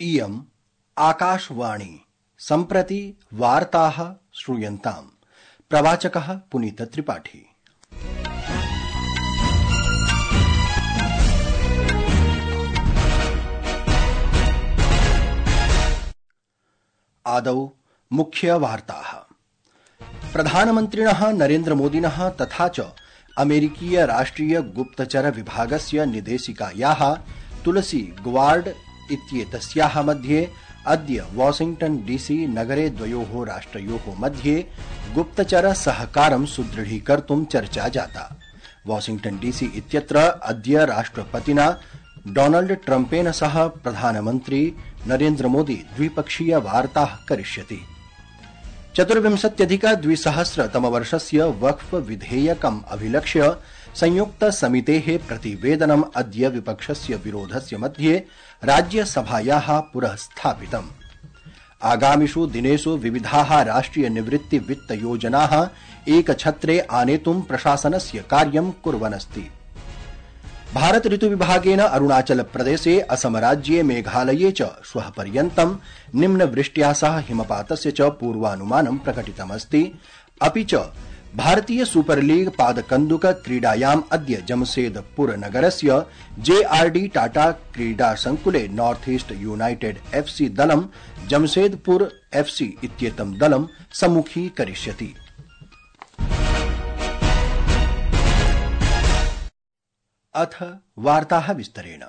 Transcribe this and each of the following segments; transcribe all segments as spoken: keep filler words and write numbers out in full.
इयम् आकाशवाणी सम्प्रति वार्ताः श्रूयन्ताम्। प्रवाचकः पुनीत त्रिपाठी। आदौ मुख्य वार्ताः। प्रधानमन्त्रिणः नरेन्द्रमोदिनः तथा च अमेरिकीय राष्ट्रिय गुप्तचर विभागस्य निदेशिकायाः तुलसी गवार्ड इत्येतस्याः मध्ये अद्य वाशिंग्टन डीसी नगरे द्वयोः राष्ट्रयोः मध्ये गुप्तचर सहकारं सुदृढीकर्तुं चर्चा जाता। वाशिंग्टन डीसी इत्यत्र अद्य राष्ट्रपतिना डोनाल्ड ट्रम्पेन सह प्रधानमन्त्री नरेन्द्र मोदी द्विपक्षीय वार्ताः करिष्यति। चतुर्विंशत्यधिक द्विसहस्रतमवर्षस्य वक्फ विधेयकम् अभिलक्ष्य संयुक्त समितेः प्रतिवेदनम् अद्य विपक्षस्य विरोधस्य मध्ये राज्यसभायाः पुरः स्थापितम्। आगामिषु दिनेषु विविधाः राष्ट्रिय निवृत्ति वित्त योजनाः एकछत्रे आनेतुं प्रशासनस्य कार्यं कुर्वन्नस्ति। भारत ऋतु विभागेन अरुणाचल प्रदेशे, असम राज्ये, मेघालये च श्वः पर्यन्तं निम्नवृष्ट्या सह हिमपातस्य च पूर्वानुमानं प्रकटितमस्ति। अपि च भारतीय सुपर लीग पादकन्दुक क्रीडायाम् अद्य जमशेदपुर नगरस्य जेआरडी टाटा क्रीडा संकुले नॉर्थ ईस्ट यूनाइटेड एफसी दलं जमशेदपुर एफसी इत्येतं दलं सम्मुखीकरिष्यति। अथ वार्ताः विस्तरेण।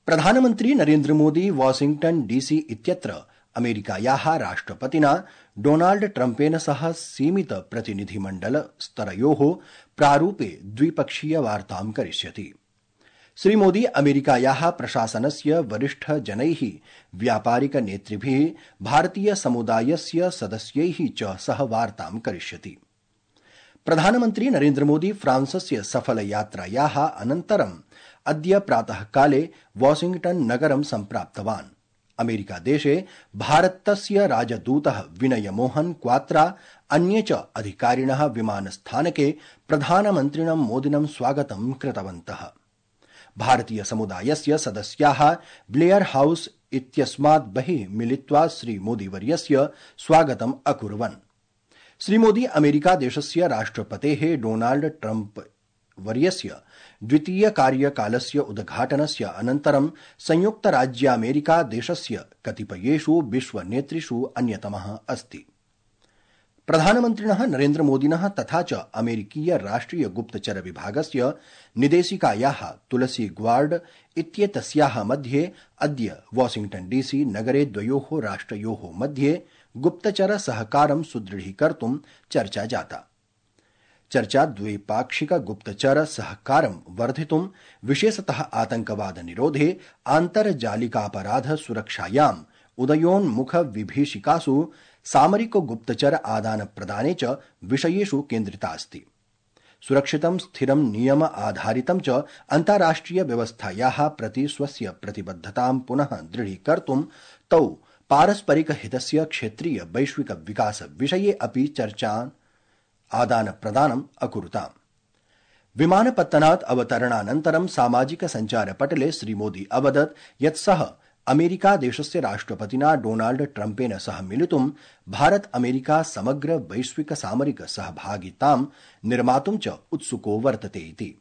प्रधानमन्त्री नरेन्द्र मोदी वाशिंग्टन डीसी इत्यत्र अमेरिकायाः राष्ट्रपतिना डोनाल्ड ट्रम्पेन सह सीमित प्रतिनिधिमण्डल स्तरयोः प्रारूपे द्विपक्षीय वार्तां करिष्यति। श्रीमोदी अमेरिकायाः प्रशासनस्य वरिष्ठजनैः, व्यापारिक नेतृभिः, भारतीय समुदायस्य सदस्यैः च सह वार्तां करिष्यति। प्रधानमन्त्री नरेन्द्र मोदी फ्रांसस्य सफल यात्रायाः अनन्तरम् अद्य प्रातःकाले वाशिंग्टन नगरं सम्प्राप्तवान्। अमेरिकादेशे भारतस्य राजदूतः विनय मोहन क्वात्रा, अन्ये च अधिकारिणः विमानस्थानके प्रधानमन्त्रिणं मोदिनं स्वागतं कृतवन्तः। भारतीय समुदायस्य सदस्याः ब्लेयर हाउस इत्यस्मात् बहिः मिलित्वा श्रीमोदीवर्यस्य स्वागतम् अकुर्वन्। श्रीमोदी अमेरिका देशस्य राष्ट्रपतेः डोनाल्ड ट्रम्प वर्यस्य द्वितीय कार्यकालस्य उद्घाटनस्य अनन्तरं संयुक्त राज्यामेरिका देशस्य कतिपयेषु विश्वनेतृषु अन्यतमः अस्ति। प्रधानमन्त्रिणः नरेन्द्र मोदिनः तथा च अमेरिकीय राष्ट्रिय गुप्तचर विभागस्य निदेशिकायाः तुलसी गवार्ड इत्येतस्याः मध्ये अद्य वाशिंग्टन डीसी नगरे द्वयोः राष्ट्रयोः मध्ये गुप्तचर सहकारं सुदृढीकर्तुं चर्चा जाता। चर्चा द्वैपाक्षिक गुप्तचर सहकारं वर्धितुं, विशेषतः आतंकवाद निरोधे, आन्तर्जालिकापराध सुरक्षायाम्, उदयोन्मुख विभीषिकासु सामरिक गुप्तचर आदान प्रदाने च विषयेषु केन्द्रिता अस्ति। सुरक्षितं, स्थिरं, नियम आधारितं च अन्ताराष्ट्रिय व्यवस्थायाः प्रति स्वस्य प्रतिबद्धतां पुनः दृढीकर्तुं तौ पारस्परिक हितस्य क्षेत्रीय वैश्विक विकास विषये अपि चर्चान् आदान प्रदानम् अकुरुताम्। विमानपत्तनात् अवतरणानन्तरं सामाजिक सञ्चारपटले श्रीमोदी अवदत् यत् सः अमेरिका देशस्य राष्ट्रपतिना डोनाल्ड ट्रम्पेन सह मिलितुं भारत अमेरिका समग्र वैश्विक सामरिक सहभागितां निर्मातुं च उत्सुको वर्तते इति।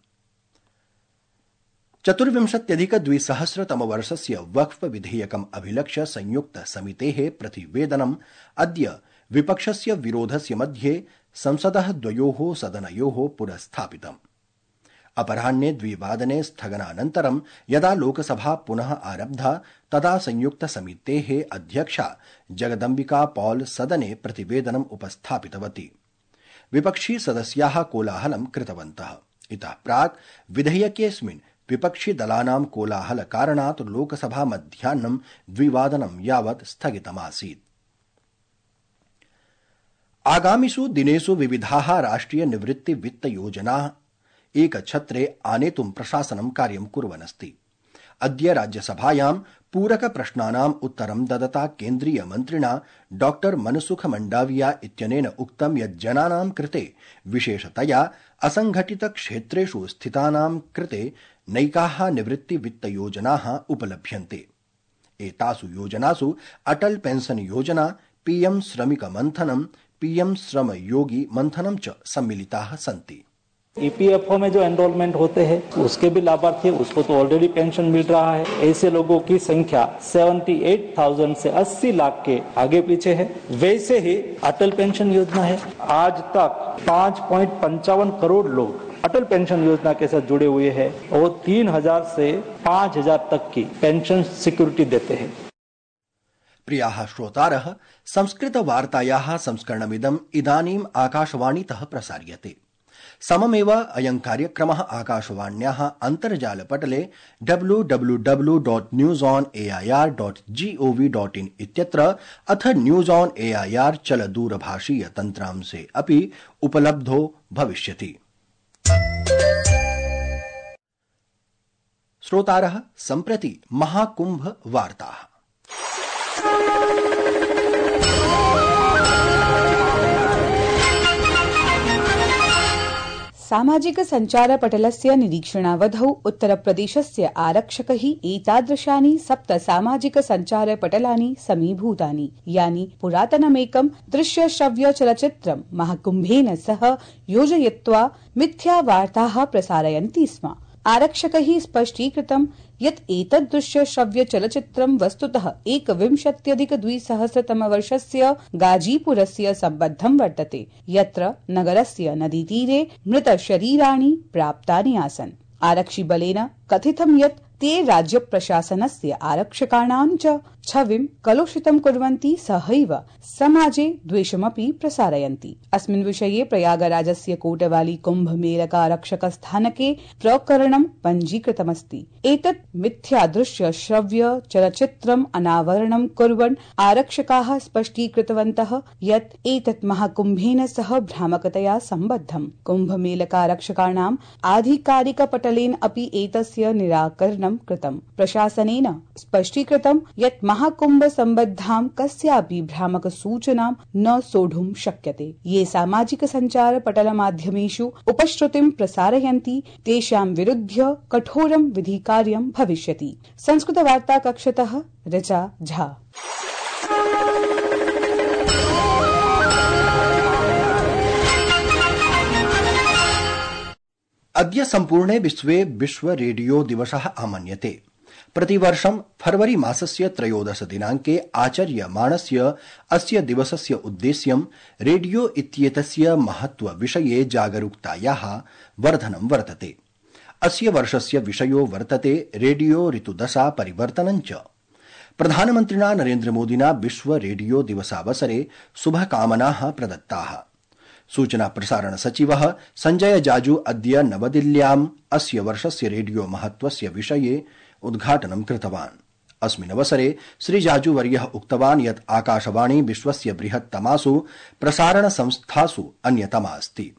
चतुर्विंशत्यधिक द्विसहस्रतमवर्षस्य वक्फ विधेयकम् अभिलक्ष्य संयुक्त समितेः प्रतिवेदनम् अद्य विपक्षस्य विरोधस्य मध्ये संसदः द्वयोः सदनयोः पुरः स्थापितम्। अपराह्ने द्विवादने स्थगनानन्तरं यदा लोकसभा पुनः आरब्धा तदा संयुक्त समितेः अध्यक्षा जगदम्बिका पॉल सदने प्रतिवेदनम् उपस्थापितवती। विपक्षी सदस्याः कोलाहलं कृतवन्तः। इतः प्राक् विधेयकेऽस्मिन् विपक्षी दलानां कोलाहल कारणात् लोकसभा मध्याह्नं द्विवादनं यावत् स्थगितमासीत्। आगामिषु दिनेषु विविधाः राष्ट्रिय निवृत्ति वित्त योजनाः एकछत्रे आनेतुं प्रशासनं कार्यं कुर्वन्नस्ति। अद्य राज्यसभायां पूरक प्रश्नानाम् उत्तरं ददता केन्द्रीय मन्त्रिणा डॉक्टर मनसुख मंडाविया इत्यनेन उक्तं यत् जनानां कृते, विशेषतया असंघटित क्षेत्रेषु स्थितानां कृते नैकाः निवृत्ति वित्त योजनाः उपलभ्यन्ते। एतासु योजनासु अटल पेंशन योजना, पीएम श्रमिक मंथनम, पीएम श्रम योगी मंथनम च सम्मिलिताः सन्ति। ईपीएफओ में जो एनरोलमेंट होते हैं उसके भी लाभार्थी, उसको तो ऑलरेडी पेंशन मिल रहा है। ऐसे लोगों की संख्या अठहत्तर हज़ार से अस्सी लाख के आगे पीछे है। वैसे ही अटल पेंशन योजना है। आज तक पाँच पॉइंट पंचावन करोड़ लोग अटल पेंशन योजना के साथ जुड़े हुए हैं और तीन हजार से पाँच हजार तक की पेंशन सिक्योरिटी देते हैं। प्रियाः श्रोतारः, संस्कृतवार्तायाः संस्करणमिदम् इदानीम् आकाशवाणीतः प्रसार्यते। सममेव अयं कार्यक्रमः आकाशवाण्याः अन्तर्जालपटले W W W dot news on A I R dot gov dot in इत्यत्र अथ news on A I R चलदूरभाषीय तन्त्रांशे अपि उपलब्धो भविष्यति। श्रोतारः, सम्प्रति महाकुंभ वार्ताः। सामाजिक संचारपटलस्य निरीक्षणावधौ उत्तरप्रदेशस्य आरक्षकैः एतादृशानि सप्त सामाजिक संचारपटलानि समीभूतानि, यानि पुरातनमेकं दृश्यश्रव्यचलच्चित्रं महाकुम्भेन सह योजयित्वा मिथ्यावार्ताः प्रसारयन्ति स्म। आरक्षकैः स्पष्टीकृतं यत् एतद् दृश्यश्रव्यचलच्चित्रं वस्तुतः एकविंशत्यधिकद्विसहस्रतमवर्षस्य गाजीपुरस्य सम्बद्धं वर्तते, यत्र नगरस्य नदीतीरे मृतशरीराणि प्राप्तानि आसन्। आरक्षिबलेन कथितं यत् ते राज्यप्रशासनस्य आरक्षकाणां च छविं कलुषितं कुर्वन्ति, सहैव समाजे द्वेषमपि प्रसारयन्ति। अस्मिन् विषये प्रयागराजस्य कोटवाली कुम्भमेलकारक्षकस्थानके प्रकरणं पञ्जीकृतमस्ति। एतत् मिथ्यादृश्य श्रव्य चलच्चित्रम् अनावरणं कुर्वन् आरक्षकाः स्पष्टीकृतवन्तः यत् एतत् महाकुम्भेन सह भ्रामकतया सम्बद्धम्। कुम्भमेलकारक्षकाणाम् आधिकारिकपटलेन अपि एतस्य निराकरणं कृतम्। प्रशासनेन स्पष्टीकृतं यत् महाकुंभ सम्बद्धां कस्यापि भ्रामक सूचनां न सोढुं शक्यते। ये सामाजिक संचार पटल माध्यमेषु उपश्रुतिं प्रसारयन्ति तेषां विरुध्य कठोरं विधिकार्यं भविष्यति। संस्कृत वार्ता कक्षतः ऋचा झा। अद्य सम्पूर्णे विश्वे विश्व रेडियो दिवसः आमन्यते। प्रतिवर्षं फरवरी मासस्य त्रयोदश दिनाङ्के आचर्यमाणस्य अस्य दिवसस्य उद्देश्यं रेडियो इत्येतस्य महत्व विषये जागरूकतायाः वर्धनं वर्तते। अस्य वर्षस्य विषयो वर्तते रेडियो ऋतुदशा परिवर्तनं च। प्रधानमन्त्रिणा नरेन्द्रमोदिना विश्व रेडियो दिवसावसरे शुभकामनाः प्रदत्ताः। सूचना प्रसारण सचिवः संजय जाजू अद्य नवदिल्ल्याम् अस्य वर्षस्य रेडियो महत्वस्य विषये उद्घाटनं कृतवान्। अस्मिन् अवसरे श्रीजाजूवर्यः उक्तवान् यत् आकाशवाणी विश्वस्य बृहत्तमासु प्रसारण संस्थासु अन्यतमा अस्ति।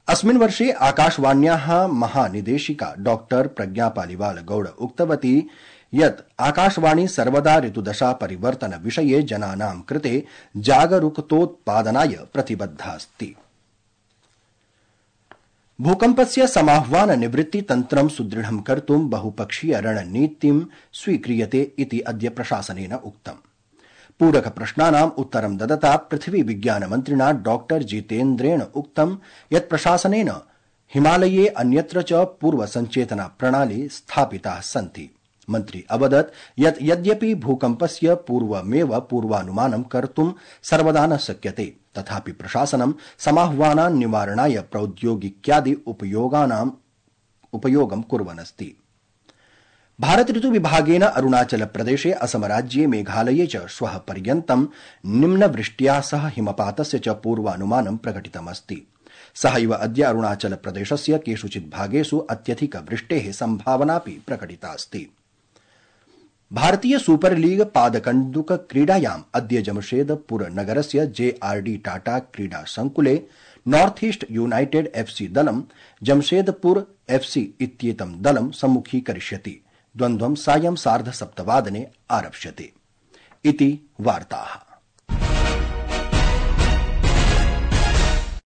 अस्मिन् वर्षे आकाशवाण्याः महानिदेशिका डॉक्टर प्रज्ञापालिवाल गौड़ उक्तवती यत् आकाशवाणी सर्वदा ऋतुदशा परिवर्तन विषये जनानां कृते जागरूकतोत्पादनाय प्रतिबद्धा अस्ति। भूकम्पस्य समाह्वान निवृत्ति तन्त्रं सुदृढं कर्तुं बहुपक्षीय रणनीतिं स्वीक्रियते इति अद्य प्रशासनेन उक्तम्। पूरक प्रश्नानाम् उत्तरं ददता पृथ्वी विज्ञान मन्त्रिणा डॉक्टर जितेन्द्रेण उक्तं यत् प्रशासनेन हिमालये अन्यत्र च पूर्व संचेतना प्रणाली स्थापिताः सन्ति। मन्त्री अवदत् यत् यद्यपि भूकम्पस्य पूर्वमेव पूर्वानुमानं कर्तुं सर्वदा न शक्यते, तथापि प्रशासनं समाह्वानान् निवारणाय प्रौद्योगिक्यादि उपयोगानाम् उपयोगं कुर्वन्नस्ति। भारत ऋतु विभागेन अरुणाचल प्रदेशे, असम राज्ये, मेघालये च श्वः पर्यन्तं निम्नवृष्ट्या सह हिमपातस्य च पूर्वानुमानं प्रकटितमस्ति। सहैव अद्य अरुणाचल प्रदेशस्य केषुचित् भागेषु अत्यधिक वृष्टेः सम्भावनापि प्रकटितास्ति। भारतीय सुपर लीग पादकन्दुक क्रीडायाम् अद्य जमशेदपुर नगरस्य जेआरडी टाटा क्रीडा संकुले नॉर्थ ईस्ट यूनाइटेड एफसी दलं जमशेदपुर एफसी इत्येतं दलं सम्मुखीकरिष्यति। द्वन्द्वं सायं सार्ध सप्तवादने आरप्स्यते। इति वार्ताः।